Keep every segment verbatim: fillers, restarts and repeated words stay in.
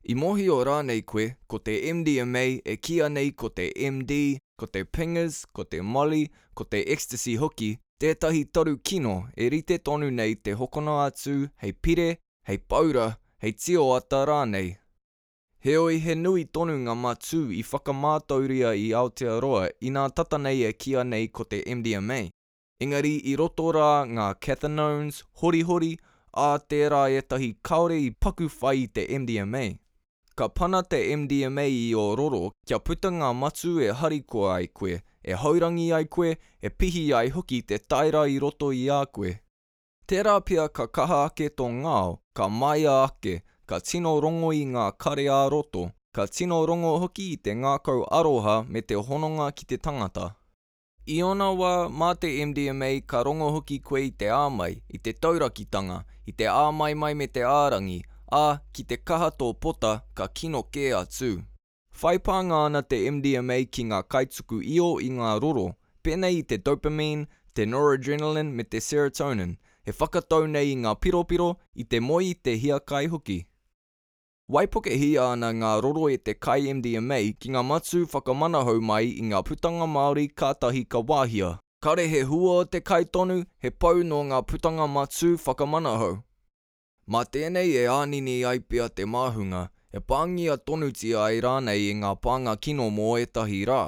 I mōhio rānei koe, ko te M D M A, e kīia nei ko te M D, ko te pingers, ko te molly, ko te ecstasy hoki, tētahi taru kino e rite tonu nei te hokona atu hei pire, hei paura, hei tioata rānei. Heoi, he nui tonu ngā matū i whakamātauria i Aotearoa inā tata nei e kīia nei ko te M D M A, engari i roto rā ngā cathinones horihori, ā, tērā ētahi kāore i paku whai i te M D M A. Ka pana te M D M A i ō roro kia puta ngā matū e harikoa ai koe, e haurangi ai koe, e pihi ai hoki te taera i roto i a koe. Tērā pea ka kaha ake tō ngao, ka māia ake, ka tino rongo i ngā kare ā-roto, ka tino rongo hoki i te ngākau aroha me te hononga ki te tangata. I ōna wā, mā te M D M A ka rongo hoki koe i te āmai, i te taurakitanga, i te āmaimai me te ārangi, ā, ki te kaha tō pota, ka kino kē atu. Whai pānga ana te M D M A ki ngā kaituku io i ngā roro, pēnei i te dopamine, te noradrenaline me te serotonin, e whakatau nei i ngā piropiro, i te moe i te hiakai hoki. Waipukehia ana ngā roro e te kai M D M A ki ngā matū whakamanahau mai i ngā putanga māori kātahi ka wāhia. Kāore he hua o te kai tonu, he pau nō ngā putanga matū whakamanahau. Mā tēnei e ānini ai pea te māhunga, e pāngia tonutia ai rānei e ngā pānga kino mō ētahi rā.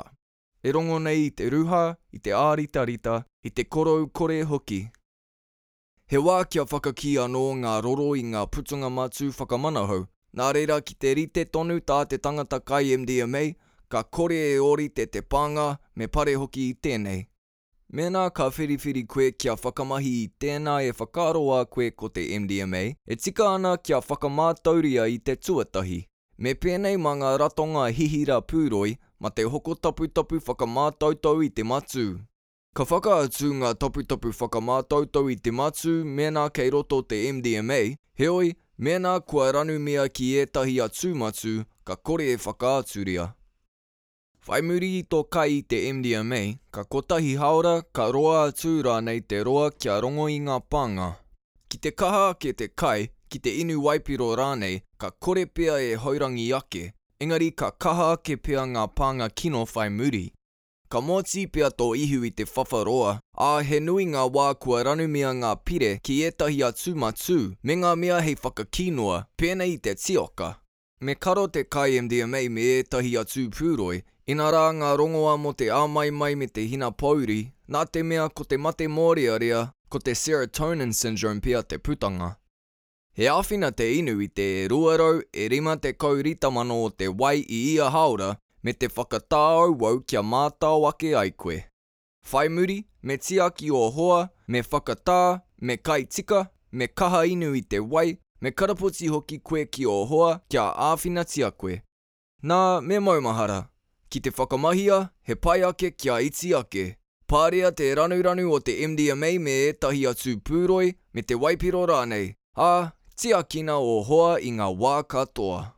E rongo nei i te ruha, i te āritarita, i te korou kore hoki. He wā kia whakakī anō ngā roro i ngā putanga matū whakamanahau, nā reira ki te rite tonu tā te tangata kai M D M A, ka kore e ōrite te pānga, me pare hoki i tēnei. Mēnā ka whiriwhiri koe kia whakamahi i tēnā e whakaaroa koe ko te M D M A, e tika ana kia whakamātauria i te tuatahi. Me pēnei mā ngā ratonga hihira pūroi, mā te hoko taputapu whakamātautau i te matū. Ka whakaatu ngā taputapu whakamātautau i te matū mēnā kei roto te M D M A, heoi, mēnā kua ranumia ki ētahi atu matū, ka kore e whakaaturia. Whai muri i tō kai i te M D M A, ka kotahi hāora, ka roa atu rānei te roa kia rongo i ngā pānga. Ki te kaha ake te kai, ki te inu waipiro rānei, ka kore pea e haurangi ake, engari ka kaha ake pea ngā pānga kino whai muri. Ka mōtī pea tō ihu i te whawharoa, ā, he nui ngā wā kua ranumia ngā pire ki ētahi atu matū me ngā mea hei whakakī noa, pēnei i te tioka. Me karo te kai M D M A me ētahi atu pūroi, inarā ngā rongoā mō te āmaimai me te hinapōuri, nā te mea ko te mate mōrearea, ko te serotonin syndrome pea te putanga. He āwhina te inu i te e rua rau e rima tekau ritamano o te wai i ia hāora me te whakatāauau kia mātao ake ai koe. Whai muri, me tiaki ō hoa, me whakatā, me kai tika, me kaha inu i te wai, me karapoti hoki koe ki ō hoa kia āwhinatia koe. Nā, me maumahara, ki te whakamahia, he pai ake kia iti ake. Pārea te ranuranu o te M D M A me ētahi atu pūroi, me te waipiro rānei, ā, tiakina ō hoa i ngā wā katoa.